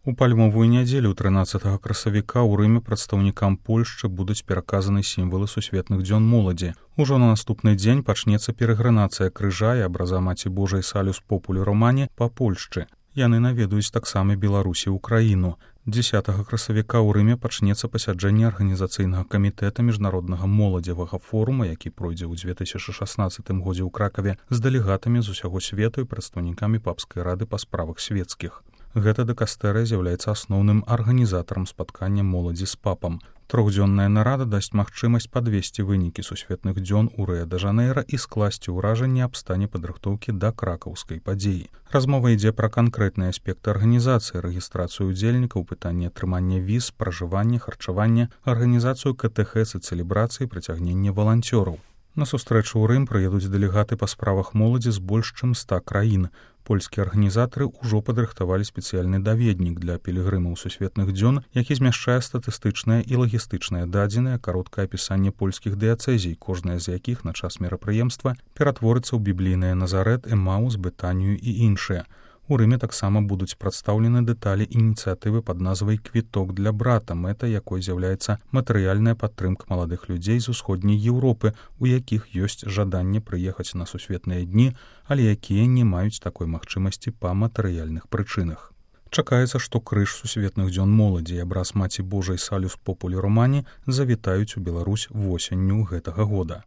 У пальмовую нядзелю 13 красавіка ў Рыме прадстаўнікам Польшчы будуць пераказаны сімвалы сусветных дзён моладзі. Ужо на наступны дзень пачнецца перагранацыя крыжа і абраза Маці Божай Салюс Популі Романі па Польшчы. Яны наведаюць таксама Беларусі і Украіну. 10 красавіка ў Рыме пачнецца пасяджэнне арганізацыйнага камітэта міжнароднага моладзевага форума, які пройдзе ў 2016 годзе ў Кракаве з дэлегатамі з усяго свету і прадстаўнікамі папскай рады па справах свецкіх. Гэта дыкастэрыя з'яўляецца асноўным арганізатарам спаткання моладзі з папам. Трохдзённая нарада дасць магчымасць падвесці вынікі сусветных дзён у Рыа-дэ-Жанэйра і скласці ўражанне аб стане падрыхтоўкі да кракаўскай падзеі. Размова ідзе пра канкрэтныя аспекты арганізацыі, рэгістрацыю удзельнікаў, пытанне атрымання віз, пражывання, харчавання, арганізацыю катэхез і цэлебрацыі, прыцягнення валанцёраў. На сустрэчу ў Рым прыедуць дэлегаты па справах моладзі з больш чым 100 краін. Польскія арганізатары ўжо падрыхтавалі спецыяльны даведнік для пілігрымаў сусветных дзён, які змяшчае статыстычныя і лагістычныя дадзеныя, кароткае апісанне польскіх дыяцэзій, кожная з якіх на час мерапрыемства ператворыцца ў біблійныя Назарэт, Эмаус, Бетанію і іншыя. У Рыме таксама будуць прадстаўлены дэталі ініцыятывы пад назвай «Квіток для брата», мэта якой з'яўляецца матэрыяльная падтрымка маладых людзей з усходняй Еўропы, у якіх ёсць жаданне прыехаць на сусветныя дні, але якія не маюць такой магчымасці па матэрыяльных прычынах. Чакаецца, што крыж сусветных дзён моладзі і абраз Маці Божай Салюс Популі Романі завітаюць у Беларусь восенню гэтага года.